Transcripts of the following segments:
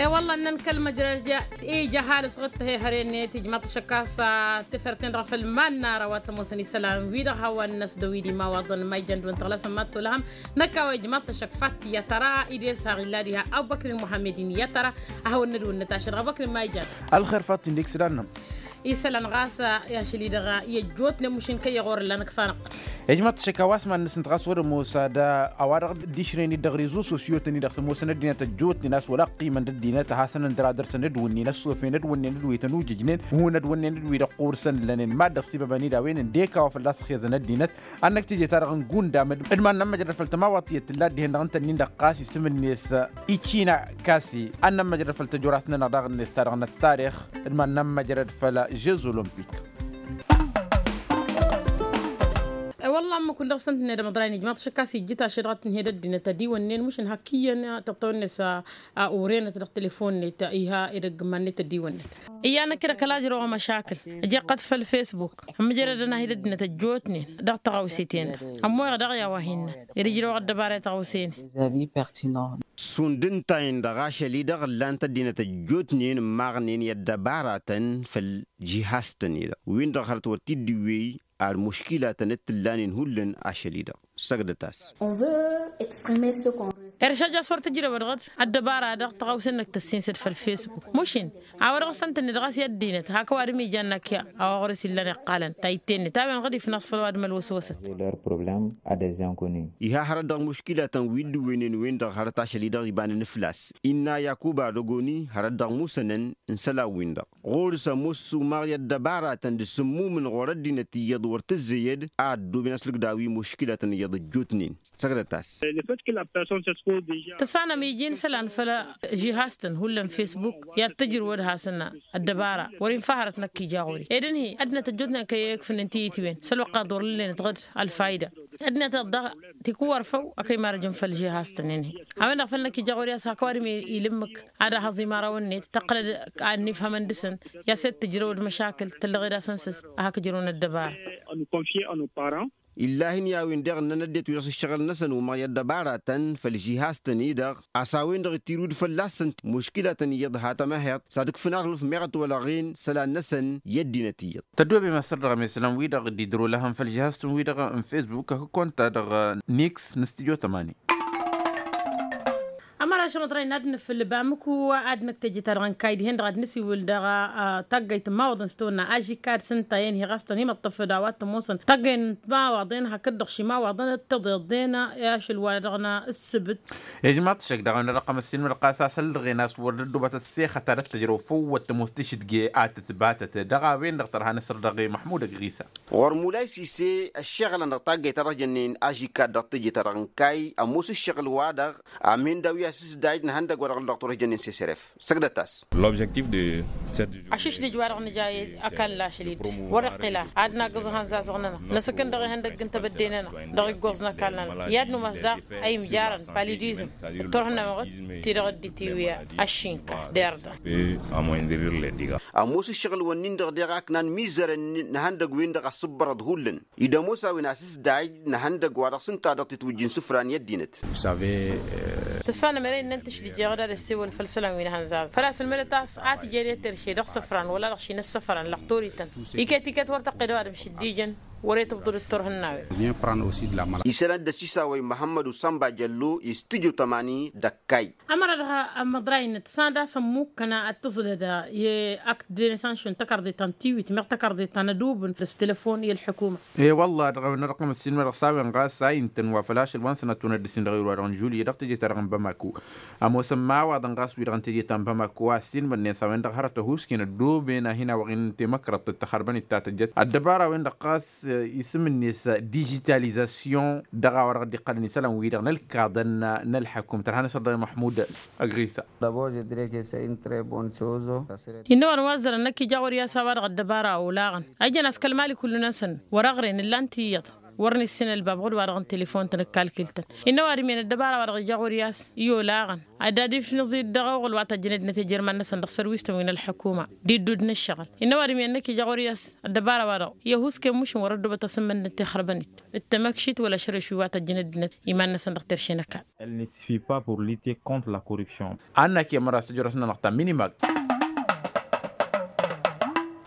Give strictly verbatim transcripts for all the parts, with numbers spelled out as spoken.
E-wălla ǝnnăn kăl-măjrăj ija ăhalǝs ɣǝd tăhehăre-net ijmaḍ-t ăššăk a-s tefărten dăɣ-făll ma n-ara wa t-ămoosăn isălan-wi-dăɣ hawăn-năs dăw-i d-imawaḍăn ma ijan dăw-in tăɣlasăn ma t-olhăm. Năkk a-wa ijmaḍ-t ăššăk fattiyăt ara-i d-e-s haɣ illa diha abubăkrin muhammed-in i-ad-tăra. A hawăn-nădwǝnnăt ašăl dăɣ-abubăkrin ma ijan. Ălxer fattiyăt n-dek s-dannăm. Isălan ɣas i-ašăl-i-dăɣ i-ăjjootnen mušin kăy-iɣor ǝllanăk fanăɣ. Ijmaḍ-t ăššăk a-wa s-iman-năsnăt ɣas wăr-ămoos ad-a-wa-dăɣ dd-išrăyăn-dd dăɣ-rezo sosyo-tăn-i-dăɣ s-ămoosăn ăddinăt ăjjootnen a-s wăla ăqqimăn d-ăddinăt ad-hasăn-ăndăr ad-dăr-săn dd-wǝnnin ăssofen d-wǝnnin d-wi tănujǝjnen. Hun ădwǝnnen d-wi-dăɣ ɣur-săn ǝllănen mad-dăɣ s-ibăbăn-dd a-wen ǝndek a-wa fălla-s ăxyăẓăn ăddinăt. Ad-năkk teje-ta-dăɣ n-gundam d-iman n-ămmăjrăd făll-tămawaḍt tiyyăt tǝlla dd-ihen-dăɣ ǝnta-nin-dăɣ ɣas isǝm-net ici n-akasi ad-nămmăjrăd făll-tăjorat-nănăɣ daɣ-net ta dăɣ-năttarix d-iman n-ămmăjrăd făll-žez olămpik. Wălla ămmăkun dăɣ-săn tǝnned ămăḍray n-ijmaḍ šăkkas ijjǝt ašăl dăɣ-tǝnhed ăddinăt adiwănnen mušǝn hak iyyăn tăṭṭăwăn-net a urenăt dăɣ-telefon-net iha edăgg iman-net adiwănnen. Iyyăn ăkk-dd ăkall ajrăwăɣ măšakǝl ăjeqqăt făll-fesbuk. Ămmǝjrădăn-ahi d-ăddinăt ăjjootnen dăɣ-tăɣawse-ten-dăɣ ămmoyăɣ daɣ i-a-wa hin-năt. Ed ijrăwăɣ ăddăbarayăt ăɣawse-net. Šund ǝnta-en-dăɣ ašăl-i-dăɣ ǝllan-t ăddinăt ăjjootnen ǝmmaɣnen i-ăddăbaratăn făll-žihaz-tăn-i-dăɣ win-dăɣ hărăt wăr t-dd-iwwey. Ar muškilatăn d-t-ǝllanen hullan ašăl-i-dăɣ săgdăt-as. Iršăj a-s wăr tǝjrăwăd ɣǝd ăddăbara-dăɣ tăɣawse-năk tăssinsăd făll-fesbuk mušin. A-wa dăɣ-s ăntănne dăɣ-s i-ăddinăt hak ăwadǝm ijan năkk i-a-wa ɣur-s illăn iqqalăn ta ittenne ta-wen ɣǝd-ifnăɣ s-făll-ăwadǝm ălwăswăsăt. Iha hărăt dăɣ-muškilatăn wi dd-ǝwwǝynen-wen-dăɣ hărăt ašăl-i-dăɣ ibanăn fălla-s innă yakuba dăgoni hărăt dăɣ-musănăn n-isălan-win-dăɣ ɣur-s ămoos umaɣ i-ăddăbaratăn d-sǝmmumǝn ɣur-ăddinăt iyyăḍ wăr tǝzzeyăd a ăddooben a-s lǝkdaw-i muškilatăn iyyăḍ ăjjootnen. Săgdăt-as. Tăsanăm iji n-isălan făll-žihaz-tăn hullan fesbuk i-ad-tǝjrǝwăd hasăn ăddăbara wăr-infa hărăt năkk ija ɣur-i ed ǝnhǝy ăddinăt ăjjootnen kăy-ăyǝkfǝnnen tiyǝtwen s-ălwăqq a ḍorlǝllenăt ɣǝd ălfayda. Ăddinăt-iḍ daɣ tikwărfăw a kăy-marăjăn făll-žihaz-tăn-in-hi. A-wen-dăɣ făl năkk ija ɣur-i a-s hak ăwadǝm ilǝmmǝk ad-ahăẓ imărawăn-net tăqqălăd ad-nifhămăn dăɣ-săn. I-a-s ed tǝjrăwăd măšakǝl tăllăɣed asăn s-hak ǝjrăwăn ăddăbara. Illahin i-a-wen-deɣ ǝnnăn ăddinăt wi dăɣ-s ǝššăɣǝl-năsăn umăɣ i-ăddăbaratăn făll-žihaz-tăn-i-dăɣ a-s a-wen-dăɣ ittirǝw-dd fălla-săn muškilatăn iyyăḍ ha tămăheḍt s-ad-ǝkfǝn arrǝf meɣ ătwălăɣen isălan-năsăn i-ăddinăt iyyăḍ. Tăddoobem asăr dăɣ-emesălan-wi-dăɣ dd-idrolăhăn făll-žihaz-tăn-wi-dăɣ n-fesbuk hakd konta dăɣ-niks n-studio tămani. Ămăraš ămăḍrăy n-ad-nǝfǝl bamǝku ad-năkk teje-ta-dăɣ n-kayy dihen-dăɣ ad-nǝsiwǝl dăɣ-taggayt n-imawaḍăn s-tăwănna ažikad s-ǝnta i-ănhăy ɣas tăn-imǝṭṭăf d-a-wa t-ămoosăn taggayt n-imawaḍăn hakd-dăɣ š-imawaḍăn d-tăḍeḍen i-ašăl wa dăɣ-năssǝbǝt. Ijmaḍ-t šăkk daɣ a-wen-dăɣ ăqqăm ăssiinmăd ɣas a-s ăllăɣen a-s wăr dd-ăddoobăt ăssexăt ta dd-tǝjrăw făw wăr tămoos tišǝdge a tǝtbatăt dăɣ-a-wen-dăɣ tărha n-asăr dăɣ-i măḥmud ăgg ɣisa. Ɣur-mulay sise ăššăɣǝlăn dăɣ-taggayt-ta-dăɣ jănnen ažikad dăɣ-teje-ta-dăɣ n-kayy ămoos ǝššăɣǝl-wa-dăɣ amin daw-i asǝsdaj n-ihăndăgg-wa-dăɣ n-dăɣ turăh jănnen seseref. Săgdăt-as. Ašǝšdǝj-wa-dăɣ nǝja i-ăkall n-ašăl-i-dd wăr-iqqǝl a ad-nagǝẓ ihănzazăɣ-nănăɣ năsǝkǝn dăɣ-ihăndăgg n-tebădde-nănăɣ dăɣ-iggoẓ n-ăkall-nănăɣ i-ad-număs daɣ a imjarăn palidizm d-turhǝnna măɣăt ti-dăɣ dd-itiwǝya ăššinka d-erdăn. Ămoos ǝššăɣǝl-wǝnnin-dăɣ deɣ a ǝknan mizărăn n-ihăndăgg-win-dăɣ ăssǝbbărăḍ hullan. Id-ămoos a-wen asǝsdaj n-ihăndăgg-wa-dăɣ s-ǝnta-dăɣ titwǝjj n-isǝfra n-i ăddinăt. Tǝssanăm ere innăn tǝšdǝj eɣăd ad-ăssewăl făll-isălan wi n-ihănzazăn făl-a-s ǝlmǝdăt a-s a tǝjed i-terše dăɣ-isǝfran wăla-dăɣ šinăssăfrăn lăxtorităn. Iket-iket wăr tăqqed ăwadǝm šǝddijăn wăr-e tǝbḍǝd d-turhǝnnawen. Isălan dd-ăsisawăy măhămmăd usănba jăllo i-studyo tămani d-ăkkay. Ămăra dăɣ-amăḍray-năt s-ad-asăn mukkăn ad-tǝẓlăd i-ak d-enesanšun tăkărḍe ta n-tiwit meɣ tăkărḍe ta n-ădubǝn d-ăstelăfon i-ălḥukuma. E-wălla-hi dăɣ-a-wen-dăɣ ăqqăm ăssiinmădăɣ s-a-wen ɣas a intăn wa făl ašăl wa n-sănătun ad-dăr-sin dăɣ-iruwa dăɣ-n žulye dăɣ-teje-ta-dăɣ n-bamako. Ămoosăn imawaḍăn ɣas wi-dăɣ n-teje ta n-bamako a ăssiinmădnen s-a-wen-dăɣ hărăt ăhuusken ăddooben a hin-awăɣ-in temăkrăḍt d-taxărbănit ta tăjjăt ăddăbara-wen-dăɣ ɣas isǝm-net dižitalizasyon dăɣ-a-wa dăɣ-dd-iqqălăn isălan-wi-dăɣ n-ălkaḍăn n-ălḥăkum tărha n-asăr dăɣ-i măḥmud. Ăgrisa. Innă wa nǝwazzărăn năkk ija ɣur-i a-s a-wa-dăɣ ăddăbara olaɣăn a ijăn a-s kăl-mali kullu-năsăn wăr-ăɣren ǝllan-t iyyăḍ. Wăr nǝssin ălbab ɣud-wa-dăɣ n-telefon-tăn ǝkkalkǝl-tăn. Innă ăwadǝm-en ăddăbara-wa-dăɣ ija ɣur-i a-s i-olaɣăn ad-dd-ad-ifnǝẓ-dd dăɣ-oɣǝl wa tăjjăn ăddinăt ejăr iman-năsăn dăɣ-sărwis-tăn wi n-ălḥukuma d-iddud n-ǝššăɣǝl. Innă ăwadǝm-en-năk ija ɣur-i a-s ăddăbara-wa-dăɣ i-ăhuusken mušǝn wăr-ăddobăt asǝmmǝnnǝt tixărbănit d-tamăkšit wăla ašărǝš wi wa tăjjăn ăddinăt iman-năsăn dăɣ-terše n-ăkall. Elle ne suffit pas pour lutter contre la corruption. Anna kemăra s-tijorăs-nănăɣ ta minimag.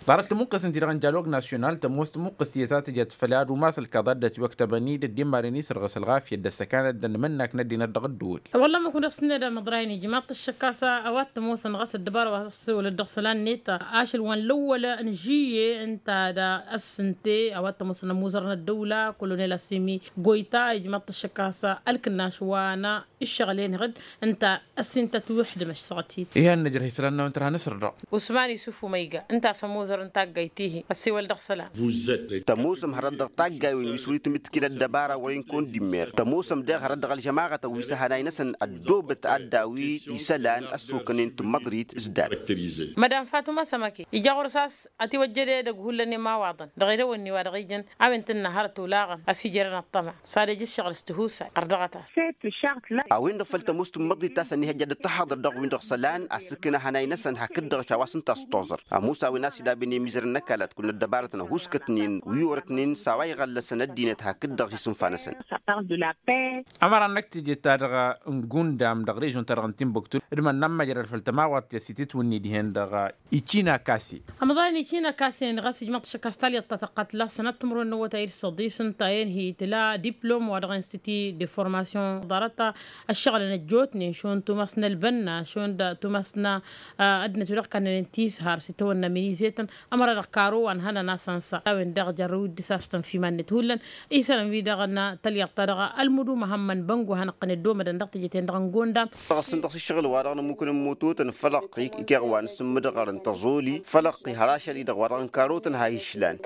Ḍarăt tămuqqăs n-ti-dăɣ n-dialog nasyonal tămoos tămuqqăs tiyyăt a tǝjăt făll-ad-umas ălkaḍa dd-ătwăktăbăn-dd ăddimmaren isăr ɣas ălɣafyăt d-ăssăkanăt d-ănmănnak n-ăddinăt dăɣ-ăddăwăl. Wălla măkun dăɣ-s n-edăm ăḍrayăn ijmaḍ-t ăššăk a-s a-wa t-ămoosăn ɣas ăddăbara wa s-wălăt dăɣ-isălan neta ašăl wa n-lăwwăl n-žiyye ǝnta d-ăssinte a-wa t-ămoosăn ămuzăr n-ăddăwla kolonel asimi goyta ijmaḍ-t ăššăk a-s ălkǝnnaš wa n-ǝššăɣǝl-en iɣǝd ǝnta ăssintăt wi ǝḥdǝm ăššăɣăt-i. Ihăn nǝjrăh isălan-năwăn tărha n-asărdăɣ. Usman isuf umăyga ǝnta a-s ămuzăr n-taggayt-ihi ăssiwăl dăɣ-isălan. Tămoosăm hărăt dăɣ-taggaywen wi s-wăr-itǝmmǝtǝkǝl ăddăbara wăren kăwăn-dd-immer tămoosăm deɣ hărăt dăɣ-ălžămaɣătăn wi s-ăhănay-năsăn ăddoobăt ad-daw-i isălan ăssokănen tǝmmăḍrit s-dat. Mădam fatuma sămăke ija ɣur-s a-s ătiwăjjăd edăgg hullan i-imawaḍăn dăɣ-edăwănni wa dăɣ-ijăn a-wen tǝnna hărăt olaɣăn ăsijărăn ăṭṭăma s-ad-ejăššăɣǝl s-tihusay ɣăr dăɣ-ătas. A-wen-dăɣ făl tămoos tǝmmăḍit ta s-ănnihăjja dd-tăhaḍăr dăɣ-win-dăɣ isălan a-s ǝkna hănay-năsăn hakd-dăɣ a-wa s-ǝnta a s-toẓăr ămoos a-wen a-s idabăn i-imizărăn n-ăkall ad-kăwăn ăddăbarătăn ăhuuskătnen wi orăknen s-a-wa iɣăllăsăn ăddinăt hakd-dăɣ i-isǝnfa-năsăn. Ămăra-năk teje-ta-dăɣ n-gundam dăɣ-režion-ta-dăɣ n-timbuktu d-iman n-amăjrăd făll-tămawat i-asitǝtwǝnni dihen-dăɣ ici n-akase. Ămḍan ici n-akase-en ɣas ijmăḍ-t ăššăk a-s talyaḍt ta tăqqat la sănat timǝrwen n-awătay d-săḍis ǝnta a inhǝy tǝla diplom wa dăɣ-institut de formation ḍarăt ăššăɣǝlăn ăjjootnen šund tumas n-ălbănna šund tumas n-ăddinăt wi dăɣ-kannănen tishar s-itawănna minizetăn ămăra dăɣ-karo wa n-hănăn a-s ănsa a-wen-dăɣ jarrăw dd-isastăn f-iman-net hullan. Isălan-wi-dăɣ n-talyaḍt-ta-dăɣ ălmudu măhămmăn băngo hanăɣ-tăn-dd-omădăn dăɣ-teje-ten-dăɣ n-gondam. Dăɣ-s ǝntăɣ s-ǝššăɣǝl-wa-dăɣ nămmukǝn n-mototăn fălăqqi ikeɣ wa n-asǝmmǝdăɣărăn tăẓoli fălăqqi har ašăl-i-dăɣ wa dăɣ-n karotăn ha išlan.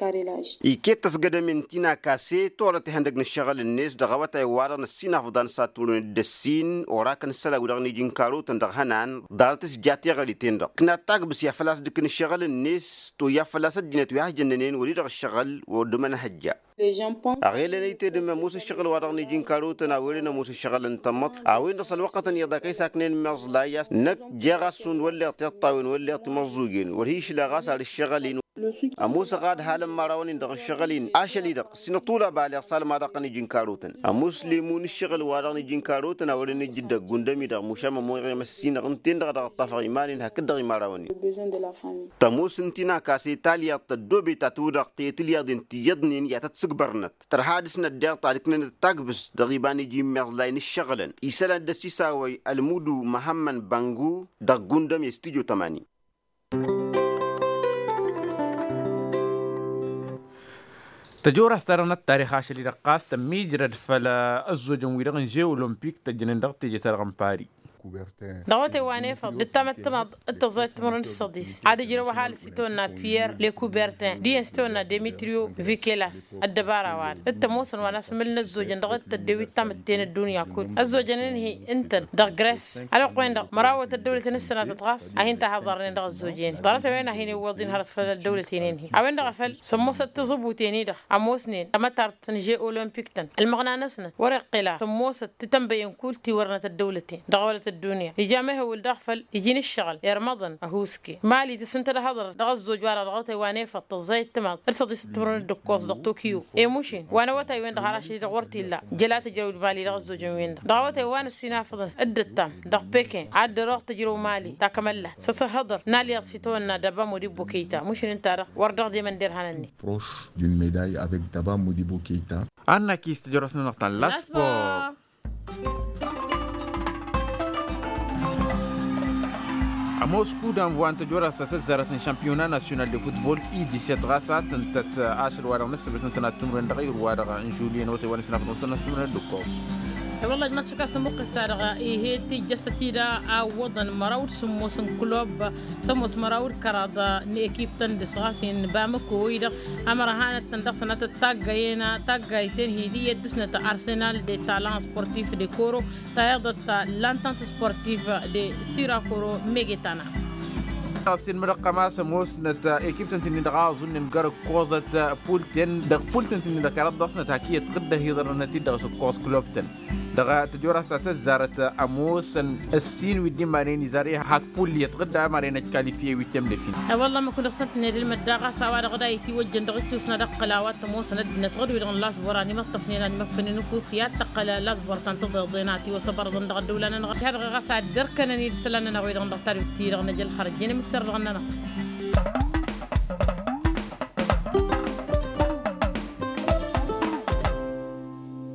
Iket tăsgădămen ti n-akase torăt ihăndăg n-ǝššăɣǝl-net dăɣ-awătay-wa-dăɣ n-ăssinafḍan s-ad-tǝmrǝwăn d-ăssin orakăn isălan-wi-dăɣ n-iji n-karotăn dăɣ-ihănan ḍarăt s-ja teɣăre-ten-dăɣ ǝknat tagbǝs i-ad-făl-a-s dd-ǝkn ǝššăɣǝl-net toyya făl-a-s ăddinăt wi has-jănnănen wăr-i-dăɣ ǝššăɣǝl wăr dd-ămănhăjja. Aɣelăn ăytedăm ămoos ǝššăɣǝl-wa-dăɣ n-iji n-karotăn a-wen ămoos ǝššăɣǝl n-tamăḍt a-wen-dăɣ s-ălwăqqătăn iyyăḍ a kăy-saknen imeẓlay a-s năkk jeɣ-as šund wălleɣ tiṭṭawen wălleɣ timăẓẓugen wăr hi-išlăɣ a-s ar ǝššăɣǝl-in. Ămoosăɣ ad-halăn imărawăn-in dăɣ-ǝššăɣǝl-in ašăl-i-dăɣ s-inăṭṭul abaleɣ s-almaḍăɣ-tăn iji n-karotăn ămoos lemun ǝššăɣǝl-wa-dăɣ n-iji n-karotăn a wărăn ǝjǝd ăggundăm-i-dăɣ mušam ămoyăɣ i-măssinăɣ ǝnta-en-dăɣ a dăɣ-ăṭṭafăɣ iman-in hakd-dăɣ imărawăn-in. Tămoos ǝnta-i n-akase talyaḍt tăddoobet ta tudăɣ tăyăt ǝlyaḍen tiyyăḍnen i-ad-tăt-sǝgbărnăt tărha ad-ǝsnăt deɣ ta d-ǝknănăt tagbǝst dăɣ-iba n-iji n-imeẓlay n-ǝššăɣǝlăn isălan dd-ăsisawăy ălmudu măhămmăn băngu dăɣ-gundăm i-studyo tămani. Tăjorast-ta-dăɣ n-ăttarix ašăl-i-dăɣ ɣas tămmijrăd făll-ăzzojăn-wi-dăɣ n-žeu olompik tăjjănen dăɣ-teje-ta-dăɣ n-pari. Dăɣ-awătay wa n-efăḍ d-ǝttamăt timaḍ d-tăẓẓayăt timărwen d-săḍis ad-ǝjrăw ăhalǝs s-itawănna piyer lekubertin d-iyyăn s-itawănna demetriyo vikelas. Ăddăbara-wa-dăɣ d-tămoosăn wa n-asǝmǝl n-ăzzojăn dăɣ-tăddew ittamǝtten ăddunya kull ăzzojăn-in-hi ǝntăn dăɣ-gres ălwăqq-wen-dăɣ mărawăt ăddăwlăt n-ǝssănatăt ɣas a hin-tahăḍarnen dăɣ-ăzzojăn ḍarăt-a-wen a hin-iwwăḍ-in hărăt făll-ăddăwlăten-in-hi a-wen-dăɣ a făl sămmosăt tiẓǝbuten-i-dăɣ ămoosnen tamătart n-žeu olompik-tăn ălmăɣna-năsnăt wăr-iqqǝl a sămmosăt titănbăyen kull tiwărnăt ăddăwlăten dăɣ-awălăt ăddunya ija mehăwǝl daɣ făll-iji n-ǝššăɣǝl irmăḍăn ăhuuske mali tǝssǝntăd ăhăḍăr dăɣ-ăzzoj wa-dăɣ dăɣ-awătay wa n-efăḍ tăẓẓayăt timaḍ d-săḍisăt timǝrwen d-ǝkkoẓ dăɣ-tokyo. I-mušin wa n-awătay-wen-dăɣ har ašăl-i-dăɣ wăr t-illa jăla tǝjrăw d-mali dăɣ-ăzzojăn-wen-dăɣ dăɣ-awătay wa n-ăssinafăḍăn d-ǝttam dăɣ-pekin ad-dd-ărăɣ tǝjrăw mali takămăllat s-asǝhhăḍăr n-alyaḍ s-itawănna dăbamud ibbo keyta mušin ǝnta-dăɣ wăr dăɣ-demăn derhan-ǝnnin. Proche d'une médaille avec Daba Modibo Keita. Annak-is tǝjrăwt-nănăɣ ta n-laspor. Ămoos kudam wa n-tăjorast ta tăzzarăt n-šampiyona nasyonal de futbol i-diset ɣas a tǝntăt ašăl-wa-dăɣ n-ǝssǝbǝt n-sănat timǝrwen dăɣ-ayǝr-wa-dăɣ n-žulyen awătay wa n-ăsnafăḍ n-sănat timǝrwen d-ǝkkoẓ. I-wălla ăjmăḍ šăkkas tămuqqǝst-ta-dăɣ ih'-e tejjăs-tăt-ida a ǝwwăḍăn măraw d-sǝmmos n-klub sămmos măraw d-kăraḍ n-ekip-tăn dăɣ-s ɣas-in bamăko-i-dăɣ ămăra hanăt-tăn dăɣ-sănatăt taggăyen taggayt-en hi-dd-iyyăt dăɣ-snăt arsenal de talent sportif de koro tayyăḍăt lantante sportif de sirakoro megetana. Ăssiilmădăɣ-tăn a-s ămoosnăt ekiptăn-tăn-in-dăɣ a ăẓunnen găr-ǝkkoẓăt pulten dăɣ-pultăn-tăn-in-dăɣ kăraḍ dăɣ-snăt hak iyyăt tɣǝdda hiḍărnăt-dd dăɣ-s ǝkkoẓ klubtăn. Dăɣ-tăjorrast ta tăzzarăt ămoosăn ǝssin wi dd-imanen izar i-hak pulli iyyăt tɣǝdda ămaren ăjkalifiye wi temlefin. E-wălla ămmăk-wi-dăɣ s-ăntăned ǝlmăd daɣ a-s a-wa-dăɣ d-a itiwăjjăn dăɣ-ǝttus n-ad-ăqqǝl a-wa t-ămoosăn ăddinăt ɣǝd-wi-dăɣ n-lasbor a n-imăṭṭăfnen a n-imăkfănen ǝfus i-ad-tăqqăl lasbor ta n-tăḍeḍen a tiwăsăbărăḍăn dăɣ-ăddăwla-nănăɣ. Had-dăɣ ɣas ad-dd-ărkănăn-dd isălan-nănăɣ wi-dăɣ n-dăɣ tadwit-ti-dăɣ n-ejăl xărăjjăn imǝssărălɣăn-nănăɣ.